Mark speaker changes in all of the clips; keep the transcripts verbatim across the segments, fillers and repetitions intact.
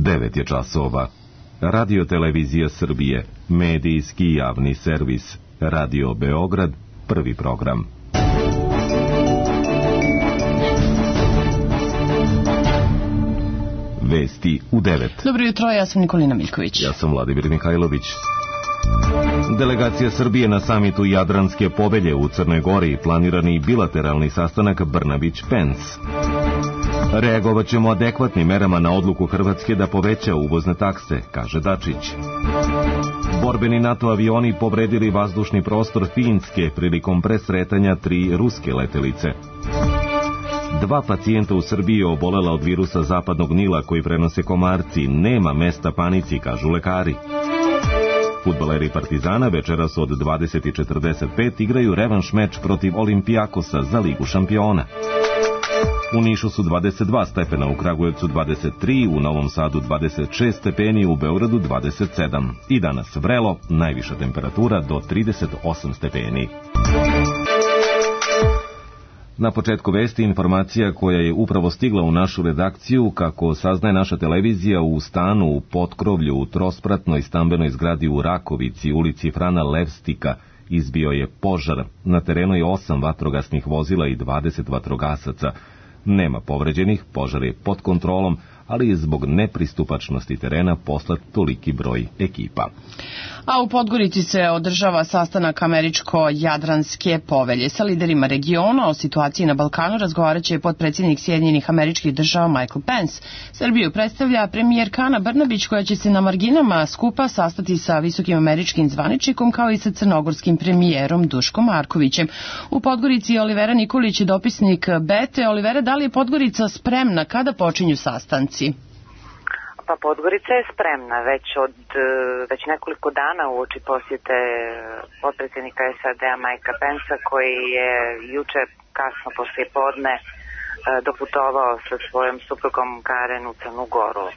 Speaker 1: devet je časova. Radio Televizija Srbije, medijski javni servis. Radio Beograd, prvi program. Vesti u devet.
Speaker 2: Dobro jutro, ja sam Nikolina Miljković.
Speaker 1: Ja sam Vladimir Mihajlović. Delegacija Srbije na samitu Jadranske povelje u Crnoj Gori, planirani bilateralni sastanak Brnabić-Pence. Reagovat ćemo adekvatnim merama na odluku Hrvatske da poveća uvozne takse, kaže Dačić. Borbeni NATO avioni povredili vazdušni prostor Finske prilikom presretanja tri ruske letelice. Dva pacijenta u Srbiji obolela od virusa zapadnog Nila koji prenose komarci. Nema mesta panici, kažu lekari. Fudbaleri Partizana večeras od dvadeset četrdeset pet igraju revanš meč protiv Olimpijakosa za Ligu šampiona. U Nišu su dvadeset dva stepena, u Kragujevcu dvadeset tri, u Novom Sadu dvadeset šest stepeni, u Beogradu dvadeset sedam. I danas vrelo, najviša temperatura do trideset osam stepeni. Na početku vesti informacija koja je upravo stigla u našu redakciju, kako saznaje naša televizija, u stanu u potkrovlju u trospratnoj stambenoj zgradi u Rakovici, ulici Frana Levstika, izbio je požar. Na terenu je osam vatrogasnih vozila i dvadeset vatrogasaca. Nema povređenih, požar je pod kontrolom, ali je zbog nepristupačnosti terena poslat toliki broj ekipa.
Speaker 2: A u Podgorici se održava sastanak Američko-Jadranske povelje. Sa liderima regiona o situaciji na Balkanu razgovarat će potpredsjednik Sjedinjenih Američkih Država Michael Pence. Srbiju predstavlja premijerka Ana Brnabić, koja će se na marginama skupa sastati sa visokim američkim zvaničnikom kao i sa crnogorskim premijerom Duškom Markovićem. U Podgorici je Olivera Nikolić, dopisnik Bete. Olivera, da li je Podgorica spremna? Kada počinju sastanci?
Speaker 3: Pa Podgorica je spremna već od već nekoliko dana uoči posjete potpredsjednika S A D-a Mikea Pencea, koji je juče kasno poslije podne doputovao sa svojom suprugom Karen u Crnu Goru.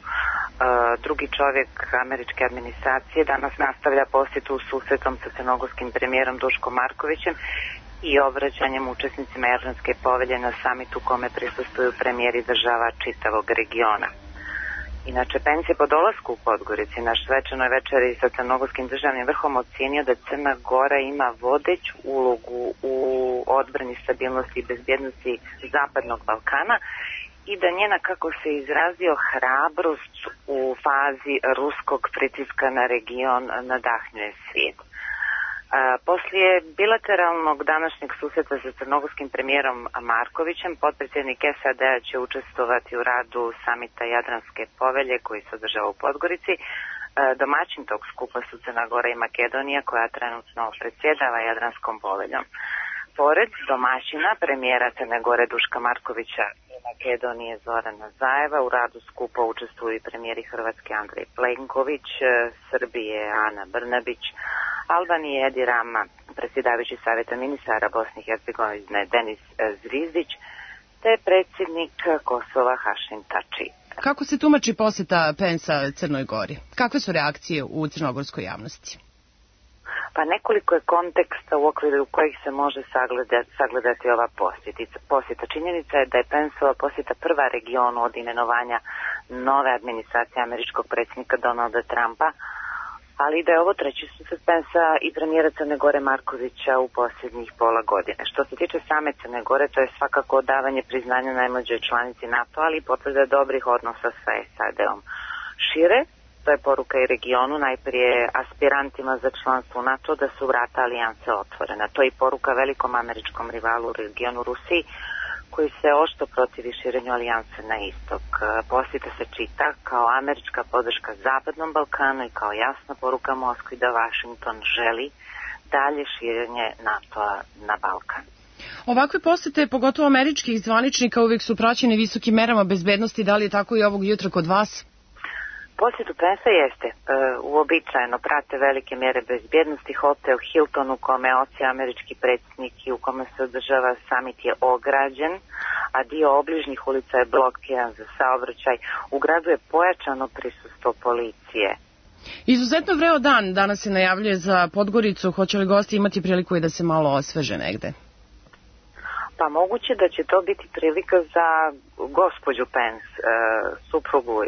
Speaker 3: Drugi čovjek američke administracije danas nastavlja posjetu susretom sa crnogorskim premijerom Duškom Markovićem i obraćanjem učesnicima Jadranske povelje na samitu kome prisustvuju premijeri država čitavog regiona. Inače, Pence je po dolasku u Podgorici na svečanoj večeri sa crnogorskim državnim vrhom ocijenio da Crna Gora ima vodeću ulogu u odbrani stabilnosti i bezbjednosti Zapadnog Balkana i da njena, kako se izrazio, hrabrost u fazi ruskog pritiska na region nadahnjuje svijet. A, poslije bilateralnog današnjeg susreta sa crnogorskim premijerom Markovićem, potpredsjednik S A D-a će učestvovati u radu samita Jadranske povelje koji se održava u Podgorici. A, domaćin tog skupa su Crna Gora i Makedonija, koja trenutno predsjedava Jadranskom poveljom. Pored domaćina premijera Crne Gore Duška Markovića i Makedonije Zorana Zajeva, u radu skupa učestvuju i premijeri Hrvatske Andrej Plenković, Srbije Ana Brnabić, Albanije Edi Rama, predsjedavajući Savjeta ministara Bosne i Hercegovine Denis Zvizdić, te predsjednik Kosova Hašim Tači.
Speaker 2: Kako se tumači posjeta Pencea Crnoj Gori? Kakve su reakcije u crnogorskoj javnosti?
Speaker 3: Pa nekoliko je konteksta u okviru kojih se može sagledati, sagledati ova posjeta. Činjenica je da je Penceova posjeta prva regionu od imenovanja nove administracije američkog predsjednika Donalda Trumpa, ali da je ovo treći susret Pencea i premijera Crne Gore Markovića u posljednjih pola godine. Što se tiče same Crne Gore, to je svakako davanje priznanja najmlađoj članici NATO, ali i potvrda dobrih odnosa sa S A D-om. Šire, to je poruka i regionu, najprije aspirantima za članstvo u NATO, da su vrata alijanse otvorena. To je i poruka velikom američkom rivalu u regionu Rusiji, koji se oštro protivi širenju alijanse na istok. Posjeta se čita kao američka podrška Zapadnom Balkanu i kao jasna poruka Moskvi da Vašington želi dalje širenje NATO-a na Balkan.
Speaker 2: Ovakve posjete, pogotovo američkih zvaničnika, uvijek su praćene visokim merama bezbednosti. Da li je tako i ovog jutra kod vas?
Speaker 3: Posjetu Pencea jeste e, uobičajeno, prate velike mjere bezbjednosti. Hotel Hilton u kome je odsjeo američki predsjednik i u kome se održava samit je ograđen, a dio obližnjih ulica je blokiran za saobraćaj. U gradu je pojačano prisustvo policije.
Speaker 2: Izuzetno vreo dan danas se najavljuje za Podgoricu. Hoće li gosti imati priliku i da se malo osveže negde?
Speaker 3: Pa moguće da će to biti prilika za gospođu Pence, e, suprugu e,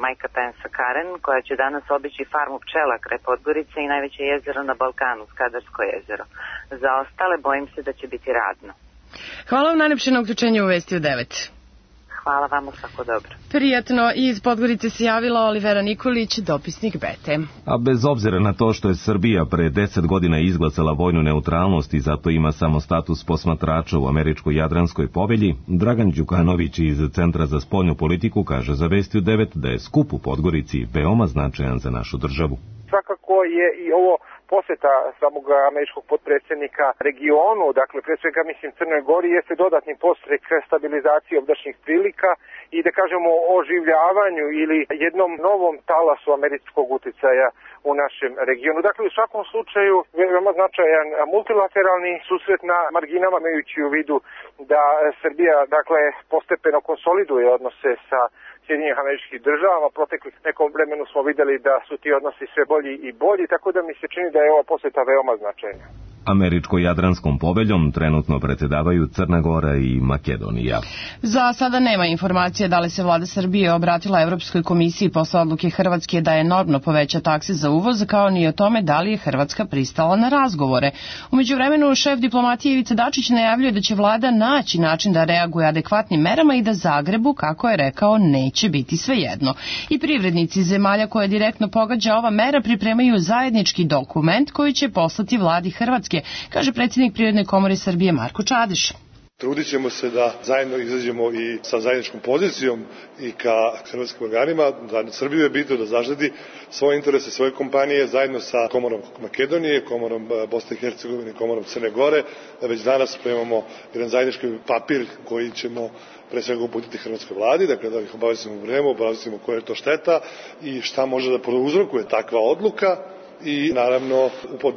Speaker 3: Majka Pensa Karen, koja će danas obići farmu pčela kraj Podgorice i najveće jezero na Balkanu, Skadarsko jezero. Za ostale bojim se da će biti radno.
Speaker 2: Hvala vam najlepše na uključenju u Vesti u devet.
Speaker 3: Hvala vama, svako dobro.
Speaker 2: Prijatno, iz Podgorice se javila Olivera Nikolić, dopisnik Bete.
Speaker 1: A bez obzira na to što je Srbija pre deset godina izglasala vojnu neutralnost i zato ima samo status posmatrača u američkoj Jadranskoj povelji, Dragan Đukanović iz Centra za spoljnu politiku kaže za Vesti u devet da je skup u Podgorici veoma značajan za našu državu.
Speaker 4: Svakako je i ovo poseta samog američkog potpredsjednika regionu, dakle pre svega mislim Crnoj Gori, jeste dodatni podstrek stabilizaciji ovdašnjih prilika i da kažemo oživljavanju ili jednom novom talasu američkog uticaja u našem regionu. Dakle, u svakom slučaju veoma značajan multilateralni susret na marginama, imajući u vidu da Srbija dakle postepeno konsoliduje odnose sa Sjedinjenih Američkih Država. Proteklih nekom vremenu smo videli da su ti odnosi sve bolji i bolji, tako da mi se čini da je ova poseta veoma značajna.
Speaker 1: Američko-jadranskom poveljom trenutno predsjedavaju Crna Gora i Makedonija.
Speaker 2: Za sada nema informacije da li se vlada Srbije obratila Evropskoj komisiji posle odluke Hrvatske da je enormno poveća takse za uvoz, kao ni o tome da li je Hrvatska pristala na razgovore. U međuvremenu šef diplomatije Ivica Dačić najavljuje da će vlada naći način da reaguje adekvatnim merama i da Zagrebu, kako je rekao, neće biti svejedno. I privrednici zemalja koje direktno pogađa ova mera pripremaju zajednički dokument koji će poslati vladi Hrvatske, kaže predsjednik Privredne komore Srbije Marko Čadiš.
Speaker 5: Trudit ćemo se da zajedno izađemo i sa zajedničkom pozicijom i ka hrvatskim organima, da Srbiju je bitno da zaštiti svoje interese, svoje kompanije, zajedno sa Komorom Makedonije, Komorom Bosne i Hercegovine, Komorom Crne Gore. Već danas spremamo jedan zajednički papir koji ćemo pre svega uputiti hrvatskoj vladi, dakle da ih obavestimo u vreme, obavestimo koja je to šteta i šta može da prouzrokuje takva odluka. I naravno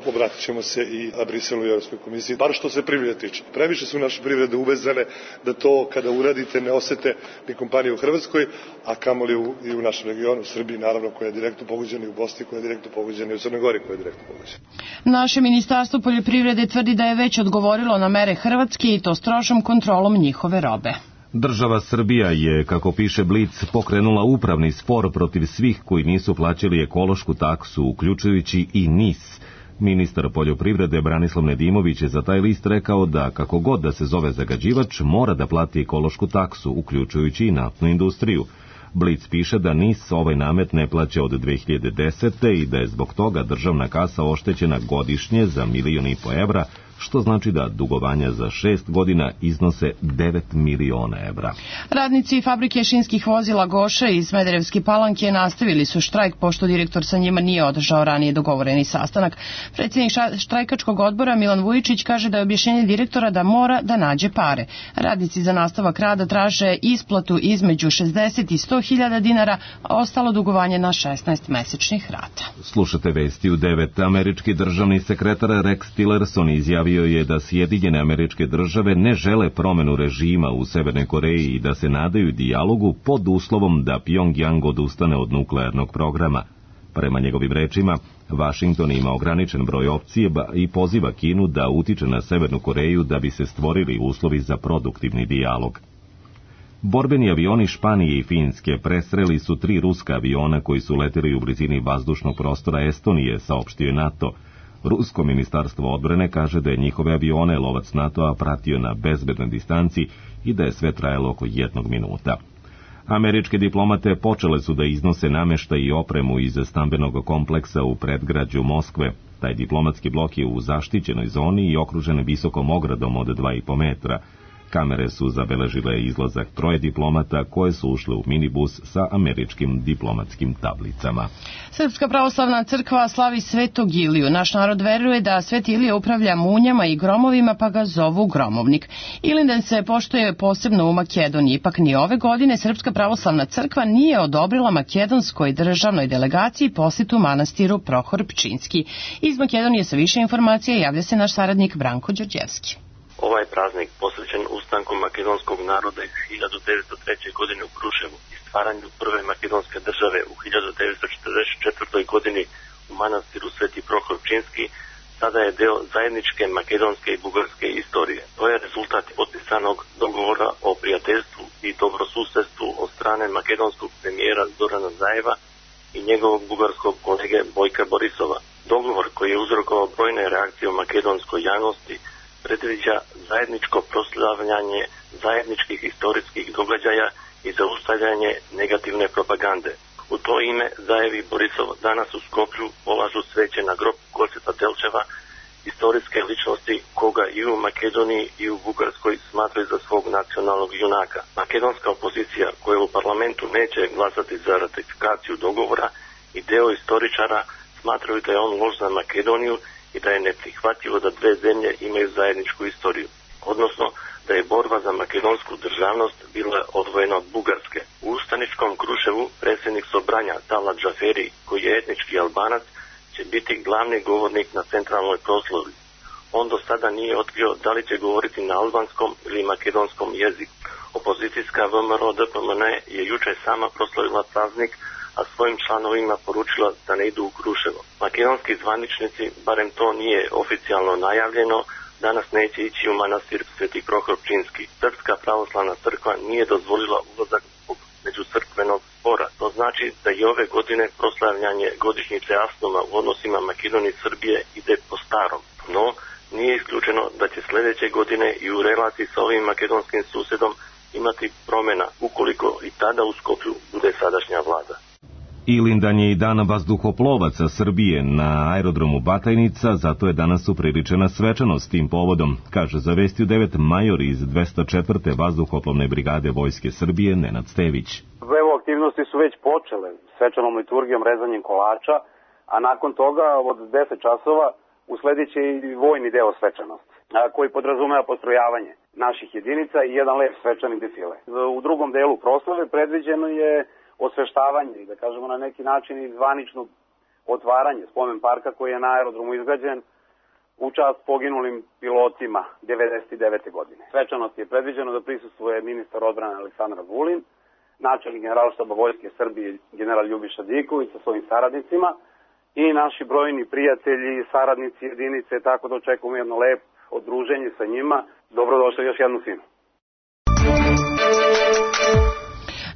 Speaker 5: obratit ćemo se i Briselu i Europskoj komisiji, bar što se privrede tiče. Previše su naše privrede uvezane da to kada uradite ne osete ni kompanije u Hrvatskoj, a kamoli u, i u našem regionu, u Srbiji naravno, koja je direktno pogođena, i u Bosni koja je direktno pogođena, i u Crnoj Gori koja je direktno pogođena.
Speaker 2: Naše ministarstvo poljoprivrede tvrdi da je već odgovorilo na mere Hrvatske i to strožom kontrolom njihove robe.
Speaker 1: Država Srbija je, kako piše Blic, pokrenula upravni spor protiv svih koji nisu plaćali ekološku taksu, uključujući i N I S. Ministar poljoprivrede Branislav Nedimović je za taj list rekao da, kako god da se zove zagađivač, mora da plati ekološku taksu, uključujući i naftnu industriju. Blic piše da N I S ovaj namet ne plaća od dve hiljade desete. i da je zbog toga državna kasa oštećena godišnje za milion i po evra, što znači da dugovanja za šest godina iznose devet miliona evra.
Speaker 2: Radnici fabrike šinskih vozila Goše iz Smederevske Palanke nastavili su štrajk pošto direktor sa njima nije održao ranije dogovoreni sastanak. Predsjednik štrajkačkog odbora Milan Vujičić kaže da je objašnjenje direktora da mora da nađe pare. Radnici za nastavak rada traže isplatu između šezdeset i sto hiljada dinara, a ostalo dugovanje na šesnaest mesečnih rata.
Speaker 1: Slušate Vesti u devet. Američki državni sekretar Rex Tillerson izjavio je da Sjedinjene Američke Države ne žele promenu režima u Severnoj Koreji i da se nadaju dijalogu pod uslovom da Pjongjang odustane od nuklearnog programa. Prema njegovim rečima, Vašington ima ograničen broj opcije i poziva Kinu da utiče na Severnu Koreju da bi se stvorili uslovi za produktivni dijalog. Borbeni avioni Španije i Finske presreli su tri ruska aviona koji su leteli u blizini vazdušnog prostora Estonije, saopštio je NATO. Rusko ministarstvo odbrane kaže da je njihove avione lovac NATO-a pratio na bezbednoj distanci i da je sve trajalo oko jednog minuta. Američke diplomate počele su da iznose nameštaj i opremu iz stambenog kompleksa u predgrađu Moskve. Taj diplomatski blok je u zaštićenoj zoni i okružen visokom ogradom od dva i po metra. Kamere su zabeležile izlazak troje diplomata koje su ušle u minibus sa američkim diplomatskim tablicama.
Speaker 2: Srpska pravoslavna crkva slavi Svetog Iliju. Naš narod veruje da Sveti Ilija upravlja munjama i gromovima, pa ga zovu gromovnik. Ilindan se poštuje posebno u Makedoniji, ipak ni ove godine Srpska pravoslavna crkva nije odobrila makedonskoj državnoj delegaciji posjetu manastiru Prohor Pčinski. Iz Makedonije sa više informacija javlja se naš saradnik Branko Đorđevski.
Speaker 6: Ovaj praznik posvećen ustanku makedonskog naroda iz hiljadu devetsto treće. godine u Kruševu i stvaranju prve makedonske države u hiljadu devetsto četrdeset četvrtoj. godini u manastiru Sveti Prohor Pčinski sada je deo zajedničke makedonske i bugarske istorije. To je rezultat potpisanog dogovora o prijateljstvu i dobrosusedstvu od strane makedonskog premijera Zorana Zajeva i njegovog bugarskog kolege Bojka Borisova. Dogovor koji je uzrokovao brojne reakcije u makedonskoj javnosti predviđa zajedničko proslavljanje zajedničkih historijskih događaja i zaustavljanje negativne propagande. U to ime Zajev i Borisov danas u Skoplju polažu sveće na grob Goseta Delčeva, historijske ličnosti koga i u Makedoniji i u Bugarskoj smatraju za svog nacionalnog junaka. Makedonska opozicija koja u parlamentu neće glasati za ratifikaciju dogovora i deo istoričara smatraju da je on loš za Makedoniju i da je neprihvatljivo da dve zemlje imaju zajedničku istoriju, odnosno da je borba za makedonsku državnost bila odvojena od Bugarske. U ustaničkom Kruševu predsjednik Sobranja Talat Džaferi, koji je etnički Albanac, će biti glavni govornik na centralnoj proslavi. On do sada nije otkrio da li će govoriti na albanskom ili makedonskom jeziku. Opozicijska V M R O D P M N je juče sama proslavila praznik, a svojim članovima poručila da ne idu u Kruševo. Makedonski zvaničnici, barem to nije oficijalno najavljeno, danas neće ići u manastir Sveti Prohor Pčinjski. Srpska pravoslavna crkva nije dozvolila ulazak zbog međucrkvenog spora. To znači da i ove godine proslavljanje godišnjice Asnoma u odnosima Makedonije i Srbije ide po starom. No, nije isključeno da će sljedeće godine i u relaciji sa ovim makedonskim susjedom imati promjena, ukoliko i tada u Skoplju bude sadašnja vlada.
Speaker 1: Ilindan je i dan vazduhoplovaca Srbije na aerodromu Batajnica, zato je danas upriličena svečanost tim povodom, kaže za Vesti u devet major iz dvesta četvrte vazduhoplovne brigade Vojske Srbije Nenad Stević.
Speaker 7: Evo, aktivnosti su već počele svečanom liturgijom, rezanjem kolača, a nakon toga od deset časova usledit će i vojni deo svečanosti, koji podrazumeva postrojavanje naših jedinica i jedan lep svečani defile. U drugom delu proslave predviđeno je osveštavanje i da kažemo na neki način i zvanično otvaranje spomen parka koji je na aerodromu izgrađen u čast poginulim pilotima devedeset devete godine. Svečanost je predviđeno da prisustvuje ministar odbrane Aleksandar Vulin, načelnik Generalštaba Vojske Srbije general Ljubiša Diković sa svojim saradnicima i naši brojni prijatelji i saradnici jedinice, tako da očekujemo jedno lepo odruženje sa njima. Dobrodošli još jednu sinu.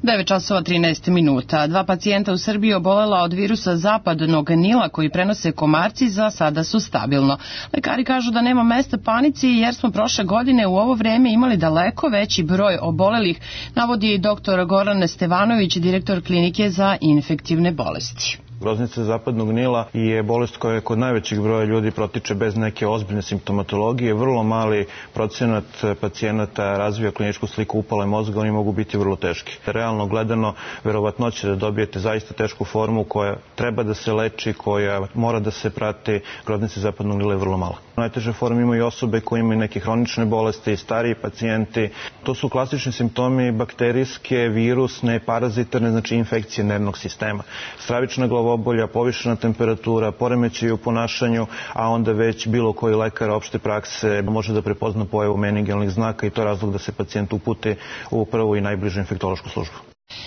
Speaker 2: devet časova trinaest minuta. Dva pacijenta u Srbiji obolela od virusa zapadnog Nila koji prenose komarci, za sada su stabilno. Lekari kažu da nema mesta panici jer smo prošle godine u ovo vreme imali daleko veći broj obolelih, navodi doktor Goran Stevanović, direktor klinike za infektivne bolesti.
Speaker 8: Groznica zapadnog Nila je bolest koja kod najvećeg broja ljudi protiče bez neke ozbiljne simptomatologije. Vrlo mali procenat pacijenata razvija kliničku sliku upale mozga, oni mogu biti vrlo teški. Realno gledano, verovatnoće da dobijete zaista tešku formu koja treba da se leči, koja mora da se prati, groznice zapadnog Nila je vrlo mala. Najteže forme imaju osobe koje imaju neke hronične bolesti, stariji pacijenti. To su klasični simptomi bakterijske, virusne, parazitarne, znači infekcije nervnog sistema. Stravična glavobolja, povišena temperatura, poremećaji u ponašanju, a onda već bilo koji lekar opšte prakse može da prepozna pojavu meningealnih znaka i to je razlog da se pacijent uputi u prvu i najbližu infektološku službu.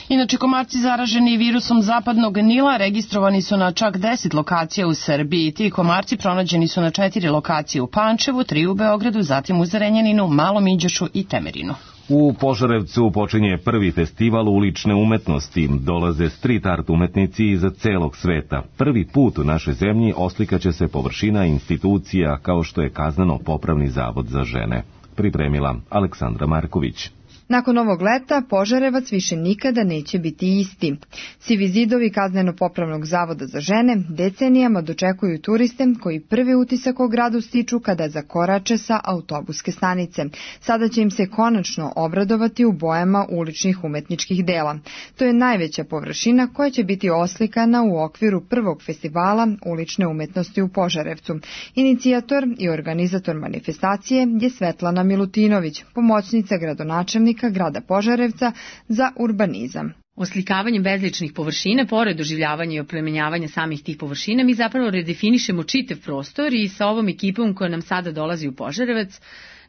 Speaker 2: Inače, komarci zaraženi virusom zapadnog Nila registrovani su na čak deset lokacija u Srbiji. Ti komarci pronađeni su na četiri lokacije u Pančevu, tri u Beogradu, zatim u Zrenjaninu, Malom Iđošu i Temerinu.
Speaker 1: U Požarevcu počinje prvi festival ulične umetnosti. Dolaze street art umetnici iz celog sveta. Prvi put u našoj zemlji oslikaće se površina institucija kao što je Kazneno-popravni zavod za žene. Pripremila Aleksandra Marković.
Speaker 9: Nakon ovog leta, Požarevac više nikada neće biti isti. Sivi zidovi Kazneno-popravnog zavoda za žene decenijama dočekuju turiste koji prvi utisak o gradu stiču kada zakorače sa autobuske stanice. Sada će im se konačno obradovati u bojama uličnih umetničkih dela. To je najveća površina koja će biti oslikana u okviru prvog festivala ulične umetnosti u Požarevcu. Inicijator i organizator manifestacije je Svetlana Milutinović, pomoćnica gradonačelnika grada Požarevca za urbanizam.
Speaker 10: Oslikavanjem bezličnih površina, pored doživljavanja i oplemenjavanja samih tih površina, mi zapravo redefinišemo čitav prostor i sa ovom ekipom koja nam sada dolazi u Požarevac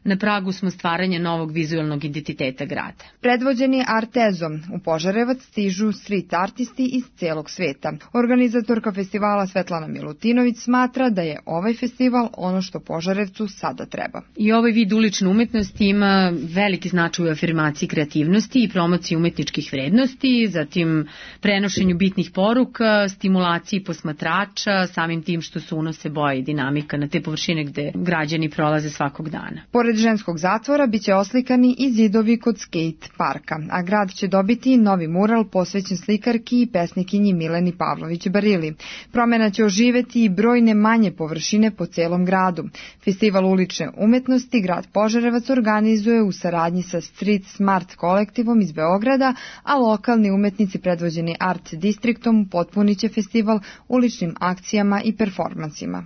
Speaker 10: na pragu smo stvaranja novog vizualnog identiteta grada.
Speaker 9: Predvođeni Artezom, u Požarevac stižu street artisti iz celog sveta. Organizatorka festivala Svetlana Milutinović smatra da je ovaj festival ono što Požarevcu sada treba.
Speaker 10: I ovaj vid ulične umetnosti ima veliki značaj u afirmaciji kreativnosti i promociji umetničkih vrednosti, zatim prenošenju bitnih poruka, stimulaciji posmatrača, samim tim što su unose boje i dinamika na te površine gde građani prolaze svakog dana.
Speaker 9: Pored ženskog zatvora biće oslikani i zidovi kod skate parka, a grad će dobiti novi mural posvećen slikarki i pesnikinji Mileni Pavlović Barili. Promena će oživeti i brojne manje površine po celom gradu. Festival ulične umetnosti grad Požarevac organizuje u saradnji sa Street Smart kolektivom iz Beograda, a lokalni umetnici predvođeni Art Distriktom potpuniće festival uličnim akcijama i performansima.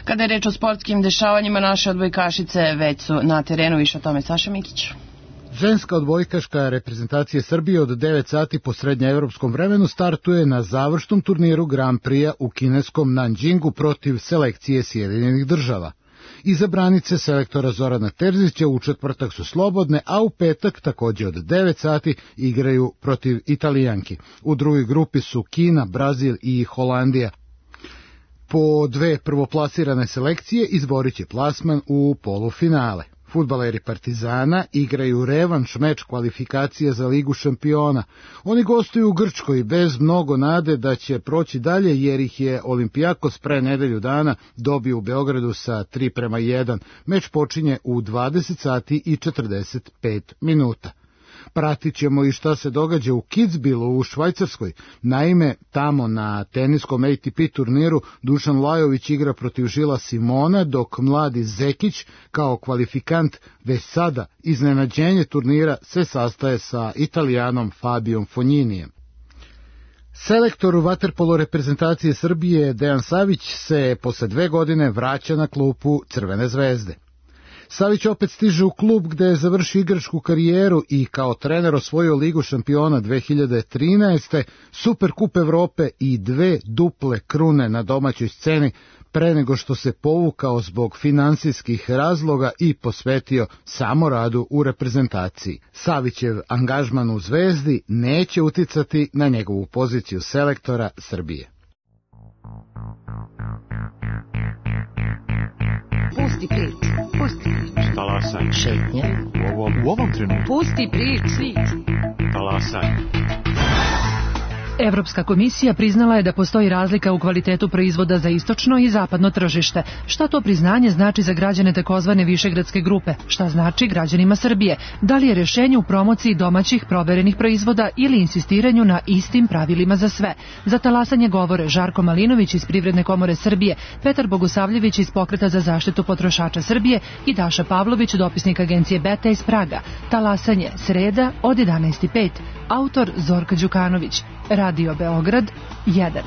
Speaker 2: Kada je reč o sportskim dešavanjima, naše odbojkašice već su na terenu. Više o tome Saša Mikić.
Speaker 11: Ženska odbojkaška reprezentacije Srbije od devet sati po srednjeevropskom vremenu startuje na završnom turniru Grand Prix-a u kineskom Nanjingu protiv selekcije Sjedinjenih država. Izabranice selektora Zorana Terzića u četvrtak su slobodne, a u petak takođe od devet sati igraju protiv Italijanki. U drugoj grupi su Kina, Brazil i Holandija. Po dve prvoplasirane selekcije izborit će plasman u polufinale. Fudbaleri Partizana igraju revanš meč kvalifikacije za Ligu šampiona. Oni gostuju u Grčkoj bez mnogo nade da će proći dalje, jer ih je Olimpijakos pre nedelju dana dobio u Beogradu sa tri prema jedan. Meč počinje u dvadeset sati i četrdeset pet minuta. Pratit ćemo i šta se događa u Kitzbühelu u Švajcarskoj. Naime, tamo na teniskom A T P turniru Dušan Lajović igra protiv Žila Simona, dok mladi Zekić kao kvalifikant već sada iznenađenje turnira se sastaje sa Italijanom Fabijom Fogninijem. Selektor vaterpolo reprezentacije Srbije Dejan Savić se posle dve godine vraća na klupu Crvene zvezde. Savić opet stiže u klub gde je završio igračku karijeru i kao trener osvojio Ligu šampiona dve hiljade trinaeste, Superkup Evrope i dve duple krune na domaćoj sceni pre nego što se povukao zbog finansijskih razloga i posvetio samo radu u reprezentaciji. Savićev angažman u Zvezdi neće uticati na njegovu poziciju selektora Srbije.
Speaker 12: Pusti priču, pusti priču.
Speaker 13: Talasaj.
Speaker 12: Šetnja.
Speaker 13: U ovom, u ovom trenutku.
Speaker 12: Pusti priču.
Speaker 13: Talasaj.
Speaker 14: Evropska komisija priznala je da postoji razlika u kvalitetu proizvoda za istočno i zapadno tržište. Šta to priznanje znači za građane takozvane višegradske grupe? Šta znači građanima Srbije? Da li je rešenje u promociji domaćih proverenih proizvoda ili insistiranju na istim pravilima za sve? Za talasanje govore Žarko Malinović iz Privredne komore Srbije, Petar Bogosavljević iz Pokreta za zaštitu potrošača Srbije i Daša Pavlović, dopisnik agencije Beta iz Praga. Talasanje, sreda od jedanaest i pet. Autor Zorka Đukanović. Radio Beograd jedan.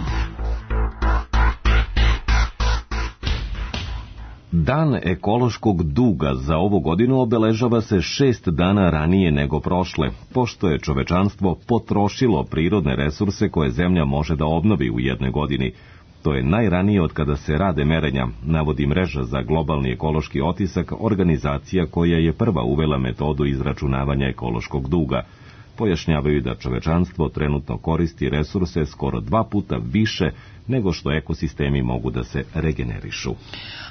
Speaker 1: Dan ekološkog duga za ovu godinu obeležava se šest dana ranije nego prošle, pošto je čovečanstvo potrošilo prirodne resurse koje zemlja može da obnovi u jednoj godini. To je najranije od kada se rade merenja, navodi mreža za globalni ekološki otisak, organizacija koja je prva uvela metodu izračunavanja ekološkog duga. Pojašnjavaju da čovečanstvo trenutno koristi resurse skoro dva puta više nego što ekosistemi mogu da se regenerišu.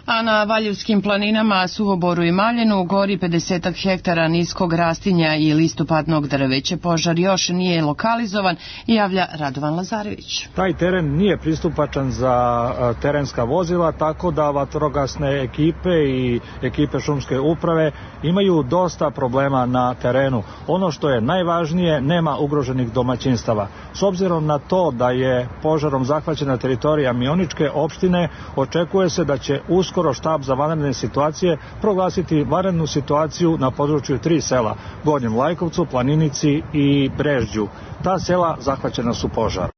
Speaker 2: A na Valjevskim planinama, Suvoboru i Maljenu gori pedeset hektara niskog rastinja i listopadnog drveća. Požar još nije lokalizovan i javlja Radovan Lazarević.
Speaker 15: Taj teren nije pristupačan za terenska vozila, tako da vatrogasne ekipe i ekipe šumske uprave imaju dosta problema na terenu. Ono što je najvažnije, nema ugroženih domaćinstava. S obzirom na to da je požarom zahvaćena teritorija Mioničke opštine, očekuje se da će uskoro štab za vanredne situacije proglasiti vanrednu situaciju na području tri sela, Gornjem Lajkovcu, Planinici i Brežđu. Ta sela zahvaćena su požar.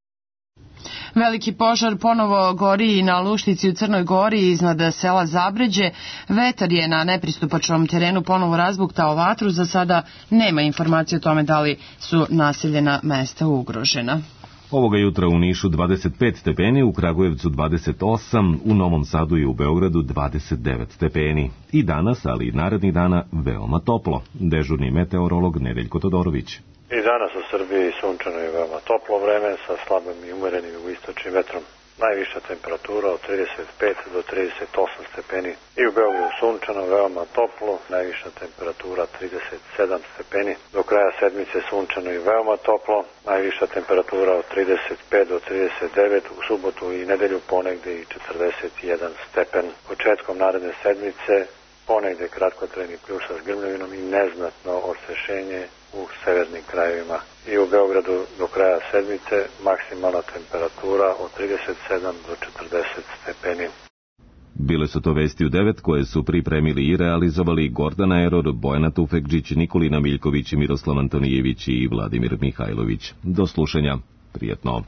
Speaker 2: Veliki požar ponovo gori i na Luštici u Crnoj Gori iznad sela Zabređe. Vetar je na nepristupačnom terenu ponovo razbuktao vatru. Za sada nema informacije o tome da li su naseljena mesta ugrožena.
Speaker 1: Ovoga jutra u Nišu dvadeset pet stepeni, u Kragujevcu dvadeset osam, u Novom Sadu i u Beogradu dvadeset devet stepeni. I danas, ali i narednih dana, veoma toplo. Dežurni meteorolog Nedeljko Todorović.
Speaker 16: I danas u Srbiji sunčano je veoma toplo vreme sa slabim i umerenim jugoistočnim vetrom. Najviša temperatura od trideset pet do trideset osam stepeni. I u Beogradu sunčano, veoma toplo, najviša temperatura trideset sedam stepeni. Do kraja sedmice sunčano i veoma toplo, najviša temperatura od trideset pet do trideset devet, u subotu i nedelju ponegde i četrdeset jedan stepen. Početkom naredne sedmice ponegde kratkotrajni pljuša s grmljavinom i neznatno osvešenje u severnim krajevima. I u Beogradu do kraja sedmice maksimalna temperatura od trideset sedam do četrdeset stepeni.
Speaker 1: Bile su to vesti u devet koje su pripremili i realizovali Gordana Eror, Bojana Tufekđić, Nikolina Miljković, Miroslav Antonijević i Vladimir Mihajlović. Do slušanja. Prijetno.